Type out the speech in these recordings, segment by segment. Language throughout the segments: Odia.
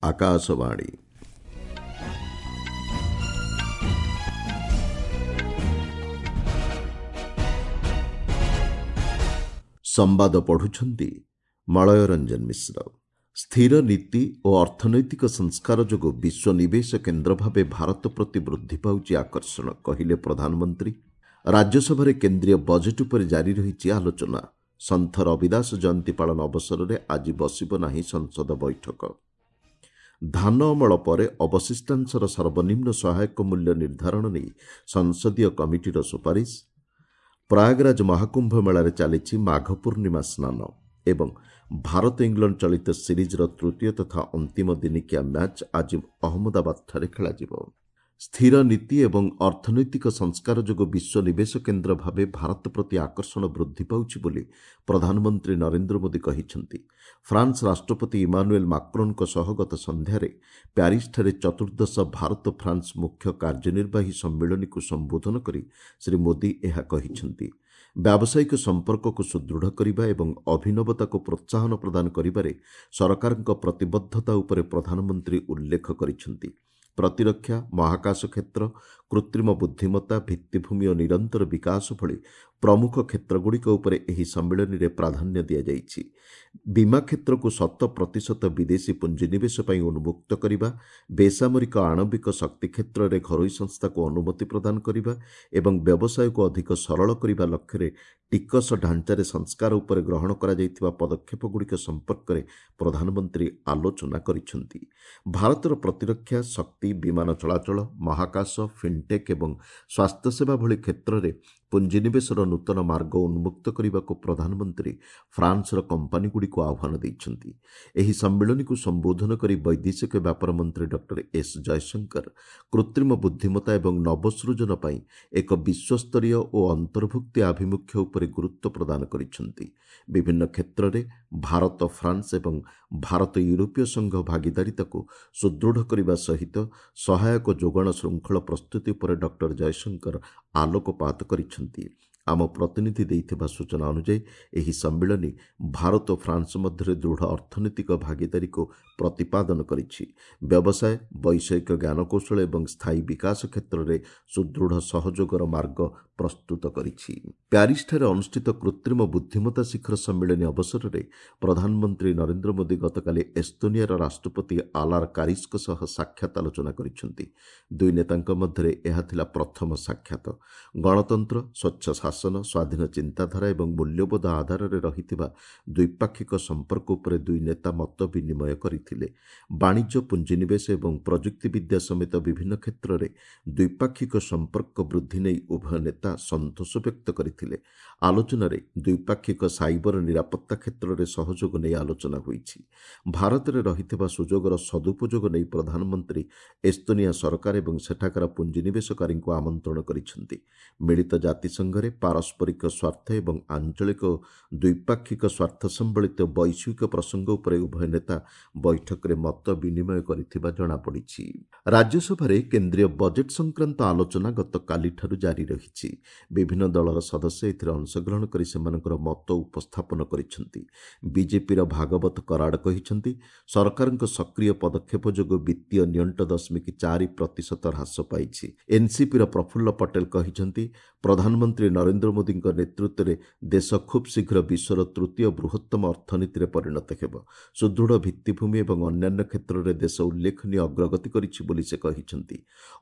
ଆକାଶବାଣୀ। ସମ୍ବାଦ ପଢୁଛନ୍ତି ମଳୟ ରଞ୍ଜନ ମିଶ୍ର। ସ୍ଥିର ନୀତି ଓ ଅର୍ଥନୈତିକ ସଂସ୍କାର ଯୋଗୁଁ ବିଶ୍ୱ ନିବେଶ କେନ୍ଦ୍ର ଭାବେ ଭାରତ ପ୍ରତି ବୃଦ୍ଧି ପାଉଛି ଆକର୍ଷଣ, କହିଲେ ପ୍ରଧାନମନ୍ତ୍ରୀ। ରାଜ୍ୟସଭାରେ କେନ୍ଦ୍ରୀୟ ବଜେଟ୍ ଉପରେ ଜାରି ରହିଛି ଆଲୋଚନା। ସନ୍ଥ ରବିଦାସ ଜୟନ୍ତୀ ପାଳନ ଅବସରରେ ଆଜି ବସିବ ନାହିଁ ସଂସଦ ବୈଠକ। ଧାନ ଅମଳ ପରେ ଅବଶିଷ୍ଟାଂଶର ସର୍ବନିମ୍ନ ସହାୟକ ମୂଲ୍ୟ ନିର୍ଦ୍ଧାରଣ ନେଇ ସଂସଦୀୟ କମିଟିର ସୁପାରିଶ। ପ୍ରୟାଗରାଜ ମହାକୁମ୍ଭ ମେଳାରେ ଚାଲିଛି ମାଘ ପୂର୍ଣ୍ଣିମା ସ୍ନାନ ଏବଂ ଭାରତ ଇଂଲଣ୍ଡ ଚଳିତ ସିରିଜ୍ର ତୃତୀୟ ତଥା ଅନ୍ତିମ ଦିନିକିଆ ମ୍ୟାଚ୍ ଆଜି ଅହମ୍ମଦାବାଦଠାରେ ଖେଳାଯିବ। ସ୍ଥିର ନୀତି ଏବଂ ଅର୍ଥନୈତିକ ସଂସ୍କାର ଯୋଗୁଁ ବିଶ୍ୱ ନିବେଶ କେନ୍ଦ୍ର ଭାବେ ଭାରତ ପ୍ରତି ଆକର୍ଷଣ ବୃଦ୍ଧି ପାଉଛି ବୋଲି ପ୍ରଧାନମନ୍ତ୍ରୀ ନରେନ୍ଦ୍ର ମୋଦି କହିଛନ୍ତି। ଫ୍ରାନ୍ସ ରାଷ୍ଟ୍ରପତି ଇମାନୁଏଲ ମାକ୍ରୋନଙ୍କ ସହ ଗତ ସନ୍ଧ୍ୟାରେ ପ୍ୟାରିସଠାରେ ଚତୁର୍ଦ୍ଦଶ ଭାରତ ଫ୍ରାନ୍ସ ମୁଖ୍ୟ କାର୍ଯ୍ୟନିର୍ବାହୀ ସମ୍ମିଳନୀକୁ ସମ୍ବୋଧନ କରି ଶ୍ରୀ ମୋଦି ଏହା କହିଛନ୍ତି। ବ୍ୟାବସାୟିକ ସମ୍ପର୍କକୁ ସୁଦୃଢ଼ କରିବା ଏବଂ ଅଭିନବତାକୁ ପ୍ରୋତ୍ସାହନ ପ୍ରଦାନ କରିବାରେ ସରକାରଙ୍କ ପ୍ରତିବଦ୍ଧତା ଉପରେ ପ୍ରଧାନମନ୍ତ୍ରୀ ଉଲ୍ଲେଖ କରିଛନ୍ତି। ପ୍ରତିରକ୍ଷା, ମହାକାଶ କ୍ଷେତ୍ର, କୃତ୍ରିମ ବୁଦ୍ଧିମତ୍ତା, ଭିତ୍ତିଭୂମି ଓ ନିରନ୍ତର ବିକାଶ ଭଳି ପ୍ରମୁଖ କ୍ଷେତ୍ରଗୁଡ଼ିକ ଉପରେ ଏହି ସମ୍ମିଳନୀରେ ପ୍ରାଧାନ୍ୟ ଦିଆଯାଇଛି। ବୀମା କ୍ଷେତ୍ରକୁ 100% ବିଦେଶୀ ପୁଞ୍ଜିନିବେଶ ପାଇଁ ଉନ୍ମୁକ୍ତ କରିବା, ବେସାମରିକ ଆଣବିକ ଶକ୍ତି କ୍ଷେତ୍ରରେ ଘରୋଇ ସଂସ୍ଥାକୁ ଅନୁମତି ପ୍ରଦାନ କରିବା ଏବଂ ବ୍ୟବସାୟକୁ ଅଧିକ ସରଳ କରିବା ଲକ୍ଷ୍ୟରେ ଟିକସ ଢାଞ୍ଚାରେ ସଂସ୍କାର ଉପରେ ଗ୍ରହଣ କରାଯାଇଥିବା ପଦକ୍ଷେପଗୁଡ଼ିକ ସମ୍ପର୍କରେ ପ୍ରଧାନମନ୍ତ୍ରୀ ଆଲୋଚନା କରିଛନ୍ତି। ଭାରତର ପ୍ରତିରକ୍ଷା, ଶକ୍ତି, ବିମାନ ଚଳାଚଳ, ମହାକାଶ, ଫିନ୍ଟେକ୍ ଏବଂ ସ୍ୱାସ୍ଥ୍ୟସେବା ଭଳି କ୍ଷେତ୍ରରେ ପୁଞ୍ଜିନିବେଶର ନୂତନ ମାର୍ଗ ଉନ୍ମୁକ୍ତ କରିବାକୁ ପ୍ରଧାନମନ୍ତ୍ରୀ ଫ୍ରାନ୍ସର କମ୍ପାନୀଗୁଡ଼ିକୁ ଆହ୍ୱାନ ଦେଇଛନ୍ତି। ଏହି ସମ୍ମିଳନୀକୁ ସମ୍ବୋଧନ କରି ବୈଦେଶିକ ବ୍ୟାପାର ମନ୍ତ୍ରୀ ଡକ୍ଟର ଏସ୍ ଜୟଶଙ୍କର କୃତ୍ରିମ ବୁଦ୍ଧିମତ୍ତା ଏବଂ ନବସୃଜନ ପାଇଁ ଏକ ବିଶ୍ୱସ୍ତରୀୟ ଓ ଅନ୍ତର୍ଭୁକ୍ତି ଆଭିମୁଖ୍ୟ ଉପରେ ଗୁରୁତ୍ୱ ପ୍ରଦାନ କରିଛନ୍ତି। ବିଭିନ୍ନ କ୍ଷେତ୍ରରେ ଭାରତ ଫ୍ରାନ୍ସ ଏବଂ ଭାରତ ୟୁରୋପୀୟ ସଂଘ ଭାଗିଦାରିତାକୁ ସୁଦୃଢ଼ କରିବା ସହିତ ସହାୟକ ଯୋଗାଣ ଶୃଙ୍ଖଳ ପ୍ରସ୍ତୁତି ଉପରେ ଡକ୍ଟର ଜୟଶଙ୍କର ଆଲୋକପାତ କରିଛନ୍ତି। ଆମ ପ୍ରତିନିଧି ଦେଇଥିବା ସୂଚନା ଅନୁଯାୟୀ ଏହି ସମ୍ମିଳନୀ ଭାରତ ଓ ଫ୍ରାନ୍ସ ମଧ୍ୟରେ ଦୃଢ଼ ଅର୍ଥନୈତିକ ଭାଗିଦାରୀକୁ ପ୍ରତିପାଦନ କରିଛି। ବ୍ୟବସାୟ, ବୈଷୟିକ ଜ୍ଞାନକୌଶଳ ଏବଂ ସ୍ଥାୟୀ ବିକାଶ କ୍ଷେତ୍ରରେ ସୁଦୃଢ଼ ସହଯୋଗର ମାର୍ଗ ପ୍ରସ୍ତୁତ କରିଛି। ପ୍ୟାରିସଠାରେ ଅନୁଷ୍ଠିତ କୃତ୍ରିମ ବୁଦ୍ଧିମତ୍ତା ଶିଖର ସମ୍ମିଳନୀ ଅବସରରେ ପ୍ରଧାନମନ୍ତ୍ରୀ ନରେନ୍ଦ୍ର ମୋଦି ଗତକାଲି ଏସ୍ତୋନିଆର ରାଷ୍ଟ୍ରପତି ଆଲାର କାରିସ୍ଙ୍କ ସହ ସାକ୍ଷାତ ଆଲୋଚନା କରିଛନ୍ତି। ଦୁଇ ନେତାଙ୍କ ମଧ୍ୟରେ ଏହା ଥିଲା ପ୍ରଥମ ସାକ୍ଷାତ। ଗଣତନ୍ତ୍ର, ସ୍ୱଚ୍ଛ ଶାସନ, ସ୍ୱାଧୀନ ଚିନ୍ତାଧାରା ଏବଂ ମୂଲ୍ୟବୋଧ ଆଧାରରେ ରହିଥିବା ଦ୍ୱିପାକ୍ଷିକ ସମ୍ପର୍କ ଉପରେ ଦୁଇ ନେତା ମତ ବିନିମୟ କରିଥିଲେ। ବାଣିଜ୍ୟ, ପୁଞ୍ଜିନିବେଶ ଏବଂ ପ୍ରଯୁକ୍ତିବିଦ୍ୟା ସମେତ ବିଭିନ୍ନ କ୍ଷେତ୍ରରେ ଦ୍ୱିପାକ୍ଷିକ ସମ୍ପର୍କ ବୃଦ୍ଧି ନେଇ ଉଭୟ ନେତା ସନ୍ତୋଷ ବ୍ୟକ୍ତ କରିଥିଲେ। ଆଲୋଚନାରେ ଦ୍ୱିପାକ୍ଷିକ ସାଇବର ନିରାପତ୍ତା କ୍ଷେତ୍ରରେ ସହଯୋଗ ନେଇ ଆଲୋଚନା ହୋଇଛି। ଭାରତରେ ରହିଥିବା ସୁଯୋଗର ସଦୁପଯୋଗ ନେଇ ପ୍ରଧାନମନ୍ତ୍ରୀ ଏସ୍ତୋନିଆ ସରକାର ଏବଂ ସେଠାକାର ପୁଞ୍ଜିନିବେଶକାରୀଙ୍କୁ ଆମନ୍ତ୍ରଣ କରିଛନ୍ତି। ମିଳିତ ଜାତିସଂଘରେ ପାରସ୍ପରିକ ସ୍ୱାର୍ଥ ଏବଂ ଆଞ୍ଚଳିକ ଓ ଦ୍ୱିପାକ୍ଷିକ ସ୍ୱାର୍ଥ ସମ୍ବଳିତ ବୈଶ୍ୱିକ ପ୍ରସଙ୍ଗ ଉପରେ ଉଭୟ ନେତା ବୈଠକରେ ମତ ବିନିମୟ କରିଥିବା ଜଣାପଡ଼ିଛି। ରାଜ୍ୟସଭାରେ କେନ୍ଦ୍ରୀୟ ବଜେଟ୍ ସଂକ୍ରାନ୍ତ ଆଲୋଚନା ଗତକାଲିଠାରୁ ଜାରି ରହିଛି। ବିଭିନ୍ନ ଦଳର ସଦସ୍ୟ ଏଥିରେ ଅଂଶଗ୍ରହଣ କରି ସେମାନଙ୍କର ମତ ଉପସ୍ଥାପନ କରିଛନ୍ତି। ବିଜେପିର ଭାଗବତ କରାଡ କହିଛନ୍ତି, ସରକାରଙ୍କ ସକ୍ରିୟ ପଦକ୍ଷେପ ଯୋଗୁଁ ବିତ୍ତୀୟ ନିଅଣ୍ଟ 0.4% ହ୍ରାସ ପାଇଛି। ଏନ୍ସିପିର ପ୍ରଫୁଲ୍ଲ ପଟେଲ କହିଛନ୍ତି, ପ୍ରଧାନମନ୍ତ୍ରୀ ନରେନ୍ଦ୍ର ମୋଦିଙ୍କ ନେତୃତ୍ୱରେ ଦେଶ ଖୁବ୍ ଶୀଘ୍ର ବିଶ୍ୱର ତୃତୀୟ ବୃହତ୍ତମ ଅର୍ଥନୀତିରେ ପରିଣତ ହେବ। ସୁଦୃଢ଼ ଭିତ୍ତିଭୂମି ଏବଂ ଅନ୍ୟାନ୍ୟ କ୍ଷେତ୍ରରେ ଦେଶ ଉଲ୍ଲେଖନୀୟ ଅଗ୍ରଗତି କରିଛି ବୋଲି ସେ କହିଛନ୍ତି।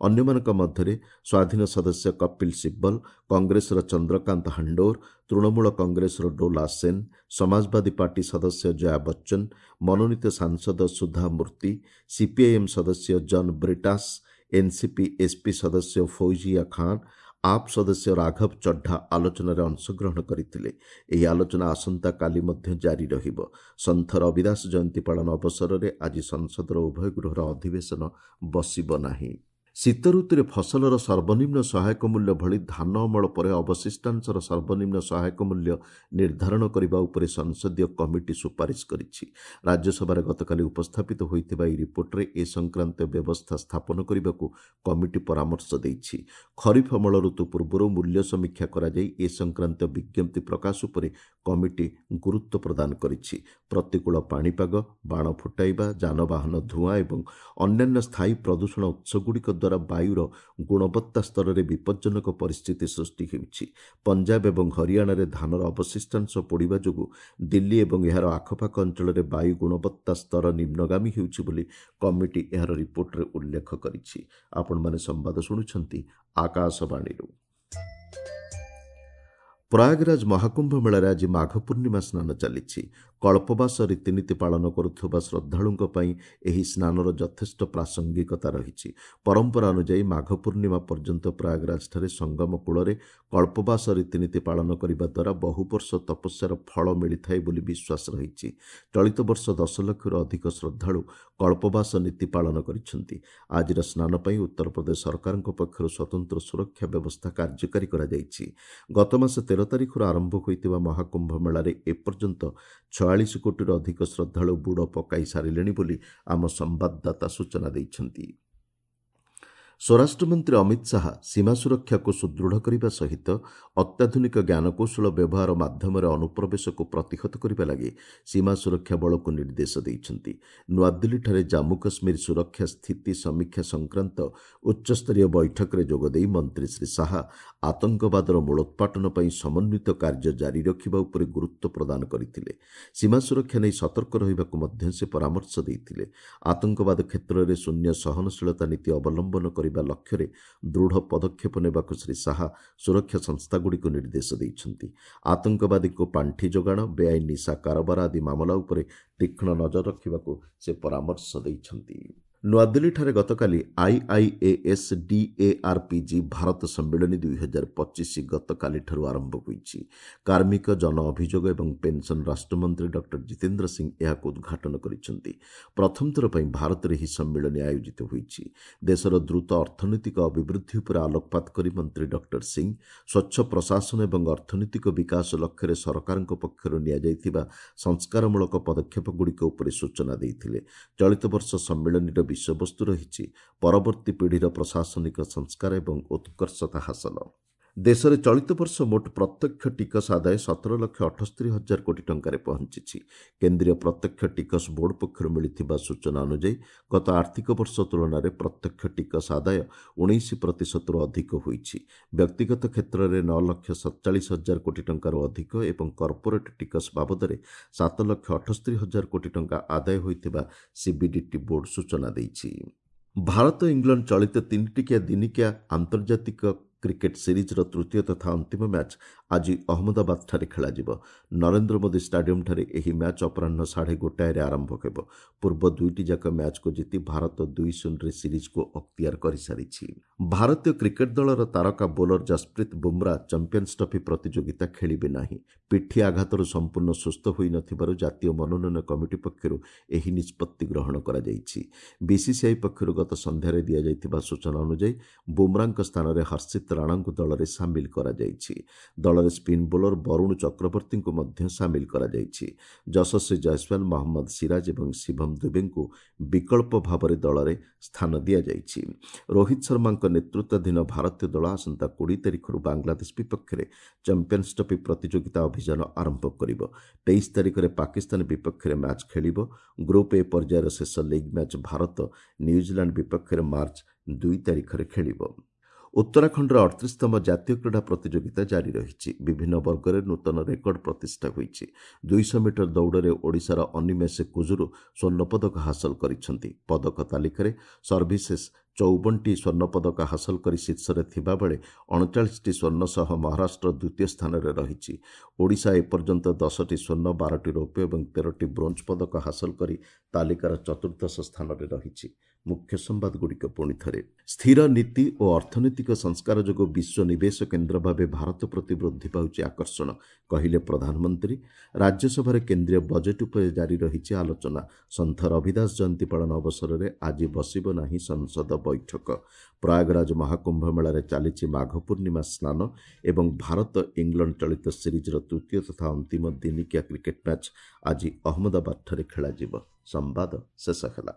ଅନ୍ୟମାନଙ୍କ ମଧ୍ୟରେ ସ୍ୱାଧୀନ ସଦସ୍ୟ କପିଲ ସିବ୍ବଲ, କଂଗ୍ରେସର ଚନ୍ଦ୍ରକାନ୍ତ ହାଣ୍ଡୋର, ତୃଣମୂଳ କଂଗ୍ରେସର ଡୋଲା ସେନ୍, ସମାଜବାଦୀ ପାର୍ଟି ସଦସ୍ୟ ଜୟା ବଚ୍ଚନ, ମନୋନୀତ ସାଂସଦ ସୁଧା ମୂର୍ତ୍ତି, ସିପିଆଇଏମ୍ ସଦସ୍ୟ ଜନ୍ ବ୍ରିଟାସ୍, ଏନ୍ସିପି ଏସ୍ପି ସଦସ୍ୟ ଫୌଜିଆ ଖାନ୍, ଆପ୍ ସଦସ୍ୟ ରାଘବ ଚଡ୍ଡା ଆଲୋଚନାରେ ଅଂଶଗ୍ରହଣ କରିଥିଲେ। ଏହି ଆଲୋଚନା ଆସନ୍ତାକାଲି ମଧ୍ୟ ଜାରି ରହିବ। ସନ୍ଥ ରବିଦାସ ଜୟନ୍ତୀ ପାଳନ ଅବସରରେ ଆଜି ସଂସଦର ଉଭୟ ଗୃହର ଅଧିବେଶନ ବସିବ ନାହିଁ। ଶୀତ ଋତୁରେ ଫସଲର ସର୍ବନିମ୍ନ ସହାୟକ ମୂଲ୍ୟ ଭଳି ଧାନ ଅମଳ ପରେ ଅବଶିଷ୍ଟାଂଶର ସର୍ବନିମ୍ନ ସହାୟକ ମୂଲ୍ୟ ନିର୍ଦ୍ଧାରଣ କରିବା ଉପରେ ସଂସଦୀୟ କମିଟି ସୁପାରିଶ କରିଛି। ରାଜ୍ୟସଭାରେ ଗତକାଲି ଉପସ୍ଥାପିତ ହୋଇଥିବା ଏହି ରିପୋର୍ଟରେ ଏ ସଂକ୍ରାନ୍ତୀୟ ବ୍ୟବସ୍ଥା ସ୍ଥାପନ କରିବାକୁ କମିଟି ପରାମର୍ଶ ଦେଇଛି। ଖରିଫ ଅମଳ ଋତୁ ପୂର୍ବରୁ ମୂଲ୍ୟ ସମୀକ୍ଷା କରାଯାଇ ଏ ସଂକ୍ରାନ୍ତୀୟ ବିଜ୍ଞପ୍ତି ପ୍ରକାଶ ଉପରେ କମିଟି ଗୁରୁତ୍ୱ ପ୍ରଦାନ କରିଛି। ପ୍ରତିକୂଳ ପାଣିପାଗ, ବାଣ ଫୁଟାଇବା, ଯାନବାହନ ଧୂଆଁ ଏବଂ ଅନ୍ୟାନ୍ୟ ସ୍ଥାୟୀ ପ୍ରଦୂଷଣ ଉତ୍ସଗୁଡ଼ିକ ଦ୍ୱାରା ବାୟୁର ଗୁଣବତ୍ତା ସ୍ତରରେ ବିପଜ୍ଜନକ ପରିସ୍ଥିତି ସୃଷ୍ଟି ହେଉଛି। ପଞ୍ଜାବ ଏବଂ ହରିୟାଣାରେ ଧାନର ଅବଶିଷ୍ଟାଂଶ ପୋଡ଼ିବା ଯୋଗୁଁ ଦିଲ୍ଲୀ ଏବଂ ଏହାର ଆଖପାଖ ଅଞ୍ଚଳରେ ବାୟୁ ଗୁଣବତ୍ତା ସ୍ତର ନିମ୍ନଗାମୀ ହେଉଛି ବୋଲି କମିଟି ଏହାର ରିପୋର୍ଟରେ ଉଲ୍ଲେଖ କରିଛି। ଆପଣମାନେ ସମ୍ବାଦ ଶୁଣୁଛନ୍ତି ଆକାଶବାଣୀରୁ। ପ୍ରୟାଗରାଜ ମହାକୁମ୍ଭ ମେଳାରେ ଆଜି ମାଘ ପୂର୍ଣ୍ଣିମା ସ୍ନାନ ଚାଲିଛି। କଳ୍ପବାସ ରୀତିନୀତି ପାଳନ କରୁଥିବା ଶ୍ରଦ୍ଧାଳୁଙ୍କ ପାଇଁ ଏହି ସ୍ନାନର ଯଥେଷ୍ଟ ପ୍ରାସଙ୍ଗିକତା ରହିଛି। ପରମ୍ପରା ଅନୁଯାୟୀ ମାଘ ପୂର୍ଣ୍ଣିମା ପର୍ଯ୍ୟନ୍ତ ପ୍ରୟାଗରାଜଠାରେ ସଙ୍ଗମ କୂଳରେ କଳ୍ପବାସ ରୀତିନୀତି ପାଳନ କରିବା ଦ୍ୱାରା ବହୁ ବର୍ଷ ତପସ୍ୟାର ଫଳ ମିଳିଥାଏ ବୋଲି ବିଶ୍ୱାସ ରହିଛି। ଚଳିତ ବର୍ଷ 10 ଲକ୍ଷରୁ ଅଧିକ ଶ୍ରଦ୍ଧାଳୁ କଳ୍ପବାସ ନୀତି ପାଳନ କରିଛନ୍ତି। ଆଜିର ସ୍ନାନ ପାଇଁ ଉତ୍ତରପ୍ରଦେଶ ସରକାରଙ୍କ ପକ୍ଷରୁ ସ୍ୱତନ୍ତ୍ର ସୁରକ୍ଷା ବ୍ୟବସ୍ଥା କାର୍ଯ୍ୟକାରୀ କରାଯାଇଛି। ଗତମାସ 13 ତାରିଖରୁ ଆରମ୍ଭ ହୋଇଥିବା ମହାକୁମ୍ଭ ମେଳାରେ ଏପର୍ଯ୍ୟନ୍ତ 46 କୋଟିରୁ ଅଧିକ ଶ୍ରଦ୍ଧାଳୁ ବୁଡ଼ ପକାଇ ସାରିଲେଣି ବୋଲି ଆମ ସମ୍ବାଦଦାତା ସୂଚନା ଦେଇଛନ୍ତି। ସ୍ୱରାଷ୍ଟ୍ରମନ୍ତ୍ରୀ ଅମିତ ଶାହା ସୀମା ସୁରକ୍ଷାକୁ ସୁଦୃଢ଼ କରିବା ସହିତ ଅତ୍ୟାଧୁନିକ ଜ୍ଞାନକୌଶଳ ବ୍ୟବହାର ମାଧ୍ୟମରେ ଅନୁପ୍ରବେଶକୁ ପ୍ରତିହତ କରିବା ଲାଗି ସୀମା ସୁରକ୍ଷା ବଳକୁ ନିର୍ଦ୍ଦେଶ ଦେଇଛନ୍ତି। ନୂଆଦିଲ୍ଲୀଠାରେ ଜାମ୍ମୁ କାଶ୍ମୀର ସୁରକ୍ଷା ସ୍ଥିତି ସମୀକ୍ଷା ସଂକ୍ରାନ୍ତ ଉଚ୍ଚସ୍ତରୀୟ ବୈଠକରେ ଯୋଗଦେଇ ମନ୍ତ୍ରୀ ଶ୍ରୀ ଶାହା ଆତଙ୍କବାଦର ମୂଳୋତ୍ପାଟନ ପାଇଁ ସମନ୍ୱିତ କାର୍ଯ୍ୟ ଜାରି ରଖିବା ଉପରେ ଗୁରୁତ୍ୱ ପ୍ରଦାନ କରିଥିଲେ। ସୀମା ସୁରକ୍ଷା ନେଇ ସତର୍କ ରହିବାକୁ ମଧ୍ୟ ସେ ପରାମର୍ଶ ଦେଇଥିଲେ। ଆତଙ୍କବାଦ କ୍ଷେତ୍ରରେ ଶୂନ୍ୟ ସହନଶୀଳତା ନୀତି ଅବଲମ୍ବନ କରିବା ଲକ୍ଷ୍ୟରେ ଦୃଢ଼ ପଦକ୍ଷେପ ନେବାକୁ ଶ୍ରୀ ଶାହା ସୁରକ୍ଷା ସଂସ୍ଥାଗୁଡ଼ିକୁ ନିର୍ଦ୍ଦେଶ ଦେଇଛନ୍ତି। ଆତଙ୍କବାଦୀଙ୍କୁ ପାଣ୍ଠି ଯୋଗାଣ, ବେଆଇନ ନିଶା କାରବାର ଆଦି ମାମଲା ଉପରେ ତୀକ୍ଷ୍ଣ ନଜର ରଖିବାକୁ ସେ ପରାମର୍ଶ ଦେଇଛନ୍ତି। ନୂଆଦିଲ୍ଲୀଠାରେ ଗତକାଲି ଆଇଆଇଏଏସ୍ ଡିଏଆର୍ପିଜି ଭାରତ ସମ୍ମିଳନୀ 2025 ଗତକାଲିଠାରୁ ଆରମ୍ଭ ହୋଇଛି। କାର୍ମିକ, ଜନ ଅଭିଯୋଗ ଏବଂ ପେନ୍ସନ୍ ରାଷ୍ଟ୍ରମନ୍ତ୍ରୀ ଡକ୍ଟର ଜିତେନ୍ଦ୍ର ସିଂ ଏହାକୁ ଉଦ୍ଘାଟନ କରିଛନ୍ତି। ପ୍ରଥମ ଥର ପାଇଁ ଭାରତରେ ଏହି ସମ୍ମିଳନୀ ଆୟୋଜିତ ହୋଇଛି। ଦେଶର ଦ୍ରୁତ ଅର୍ଥନୈତିକ ଅଭିବୃଦ୍ଧି ଉପରେ ଆଲୋକପାତ କରି ମନ୍ତ୍ରୀ ଡକ୍ଟର ସିଂ ସ୍ୱଚ୍ଛ ପ୍ରଶାସନ ଏବଂ ଅର୍ଥନୈତିକ ବିକାଶ ଲକ୍ଷ୍ୟରେ ସରକାରଙ୍କ ପକ୍ଷରୁ ନିଆଯାଇଥିବା ସଂସ୍କାରମୂଳକ ପଦକ୍ଷେପଗୁଡ଼ିକ ଉପରେ ସୂଚନା ଦେଇଥିଲେ। ଚଳିତ ବର୍ଷ ସମ୍ମିଳନୀର ବିଷୟବସ୍ତୁ ରହିଛି ପରବର୍ତ୍ତୀ ପିଢ଼ିର ପ୍ରଶାସନିକ ସଂସ୍କାର ଏବଂ ଉତ୍କର୍ଷତା ହାସଲ। ଦେଶରେ ଚଳିତ ବର୍ଷ ମୋଟ ପ୍ରତ୍ୟକ୍ଷ ଟିକସ ଆଦାୟ 17,78,000 କୋଟି ଟଙ୍କାରେ ପହଞ୍ଚିଛି। କେନ୍ଦ୍ରୀୟ ପ୍ରତ୍ୟକ୍ଷ ଟିକସ ବୋର୍ଡ ପକ୍ଷରୁ ମିଳିଥିବା ସୂଚନା ଅନୁଯାୟୀ ଗତ ଆର୍ଥିକ ବର୍ଷ ତୁଳନାରେ ପ୍ରତ୍ୟକ୍ଷ ଟିକସ ଆଦାୟ 19%ରୁ ଅଧିକ ହୋଇଛି। ବ୍ୟକ୍ତିଗତ କ୍ଷେତ୍ରରେ 9,47,000 କୋଟି ଟଙ୍କାରୁ ଅଧିକ ଏବଂ କର୍ପୋରେଟ୍ ଟିକସ ବାବଦରେ 7,78,000 କୋଟି ଟଙ୍କା ଆଦାୟ ହୋଇଥିବା ସିବିଡିଟି ବୋର୍ଡ ସୂଚନା ଦେଇଛି। ଭାରତ ଇଂଲଣ୍ଡ ଚଳିତ 3 ଟିକିଆ ଦିନିକିଆ ଆନ୍ତର୍ଜାତିକ କ୍ରିକେଟ୍ ସିରିଜ୍ର ତୃତୀୟ ତଥା ଅନ୍ତିମ ମ୍ୟାଚ୍ ଆଜି ଅହମ୍ମଦାବାଦଠାରେ ଖେଳାଯିବ। ନରେନ୍ଦ୍ର ମୋଦି ଷ୍ଟାଡିୟମ୍ଠାରେ ଏହି ମ୍ୟାଚ୍ ଅପରାହ୍ନ 1:30ରେ ଆରମ୍ଭ ହେବ। ପୂର୍ବ ଦୁଇଟି ଯାକ ମ୍ୟାଚ୍କୁ ଜିତି ଭାରତ 2-0ରେ ସିରିଜ୍କୁ ଅକ୍ତିଆର କରିସାରିଛି। ଭାରତୀୟ କ୍ରିକେଟ୍ ଦଳର ତାରକା bowler Jasprit Bumrah champions trophy ପ୍ରତିଯୋଗିତା ଖେଳିବେ ନାହିଁ। ପିଠି ଆଘାତରୁ ସମ୍ପୂର୍ଣ୍ଣ ସୁସ୍ଥ ହୋଇନଥିବାରୁ ଜାତୀୟ ମନୋନୟନ କମିଟି ପକ୍ଷରୁ ଏହି ନିଷ୍ପତ୍ତି ଗ୍ରହଣ କରାଯାଇଛି। ବିସିସିଆଇ ପକ୍ଷରୁ ଗତ ସନ୍ଧ୍ୟାରେ ଦିଆଯାଇଥିବା ସୂଚନା ଅନୁଯାୟୀ ବୁମ୍ରାଙ୍କ ସ୍ଥାନରେ ହର୍ଷିତ ରାଣାଙ୍କୁ ଦଳରେ ସାମିଲ କରାଯାଇଛି। ଦଳରେ ସ୍ପିନ୍ ବୋଲର ବରୁଣ ଚକ୍ରବର୍ତ୍ତୀଙ୍କୁ ମଧ୍ୟ ସାମିଲ କରାଯାଇଛି। ଯଶସ୍ୱୀ ଜୟସ୍ୱାଲ, ମହମ୍ମଦ ସିରାଜ ଏବଂ ଶିଭମ ଦୁବେଙ୍କୁ ବିକଳ୍ପ ଭାବରେ ଦଳରେ ସ୍ଥାନ ଦିଆଯାଇଛି। ରୋହିତ ଶର୍ମାଙ୍କ ନେତୃତ୍ୱାଧୀନ ଭାରତୀୟ ଦଳ ଆସନ୍ତା 20 ତାରିଖରୁ ବାଂଲାଦେଶ ବିପକ୍ଷରେ ଚାମ୍ପିୟନ୍ସ ଟ୍ରଫି ପ୍ରତିଯୋଗିତା ଅଭିଯାନ ଆରମ୍ଭ କରିବ। 23 ତାରିଖରେ ପାକିସ୍ତାନ ବିପକ୍ଷରେ ମ୍ୟାଚ୍ ଖେଳିବ। ଗ୍ରୁପ୍ ଏ ପର୍ଯ୍ୟାୟର ଶେଷ ଲିଗ୍ ମ୍ୟାଚ୍ ଭାରତ ନ୍ୟୁଜିଲାଣ୍ଡ ବିପକ୍ଷରେ ମାର୍ଚ୍ଚ 2 ତାରିଖରେ ଖେଳିବ। ଉତ୍ତରାଖଣ୍ଡର 38ତମ ଜାତୀୟ କ୍ରୀଡ଼ା ପ୍ରତିଯୋଗିତା ଜାରି ରହିଛି। ବିଭିନ୍ନ ବର୍ଗରେ ନୂତନ ରେକର୍ଡ ପ୍ରତିଷ୍ଠା ହୋଇଛି। 200 ମିଟର ଦୌଡ଼ରେ ଓଡ଼ିଶାର ଅନିମେଷ କୁଜୁରୁ ସ୍ୱର୍ଣ୍ଣପଦକ ହାସଲ କରିଛନ୍ତି। ପଦକ ତାଲିକାରେ ସର୍ଭିସେସ୍ 54ଟି ସ୍ୱର୍ଣ୍ଣପଦକ ହାସଲ କରି ଶୀର୍ଷରେ ଥିବାବେଳେ 39ଟି ସ୍ୱର୍ଣ୍ଣ ସହ ମହାରାଷ୍ଟ୍ର ଦ୍ୱିତୀୟ ସ୍ଥାନରେ ରହିଛି। ଓଡ଼ିଶା ଏପର୍ଯ୍ୟନ୍ତ 10ଟି ସ୍ୱର୍ଣ୍ଣ, 12ଟି ରୌପ୍ୟ ଏବଂ 13ଟି ବ୍ରୋଞ୍ଜ ପଦକ ହାସଲ କରି ତାଲିକାର ଚତୁର୍ଦ୍ଦଶ ସ୍ଥାନରେ ରହିଛି। ମୁଖ୍ୟ ସମ୍ବାଦଗୁଡ଼ିକ ପୁଣି ଥରେ। ସ୍ଥିର ନୀତି ଓ ଅର୍ଥନୈତିକ ସଂସ୍କାର ଯୋଗୁଁ ବିଶ୍ୱ ନିବେଶ କେନ୍ଦ୍ର ଭାବେ ଭାରତ ପ୍ରତି ବୃଦ୍ଧି ପାଉଛି ଆକର୍ଷଣ, କହିଲେ ପ୍ରଧାନମନ୍ତ୍ରୀ। ରାଜ୍ୟସଭାରେ କେନ୍ଦ୍ରୀୟ ବଜେଟ୍ ଉପରେ ଜାରି ରହିଛି ଆଲୋଚନା। ସନ୍ଥ ରବିଦାସ ଜୟନ୍ତୀ ପାଳନ ଅବସରରେ ଆଜି ବସିବ ନାହିଁ ସଂସଦ ବୈଠକ। ପ୍ରୟାଗରାଜ ମହାକୁମ୍ଭ ମେଳାରେ ଚାଲିଛି ମାଘ ପୂର୍ଣ୍ଣିମା ସ୍ନାନ ଏବଂ ଭାରତ ଇଂଲଣ୍ଡ ଚଳିତ ସିରିଜ୍ର ତୃତୀୟ ତଥା ଅନ୍ତିମ ଦିନିକିଆ କ୍ରିକେଟ୍ ମ୍ୟାଚ୍ ଆଜି ଅହମ୍ମଦାବାଦଠାରେ ଖେଳାଯିବ। ସମ୍ବାଦ ଶେଷ ହେଲା।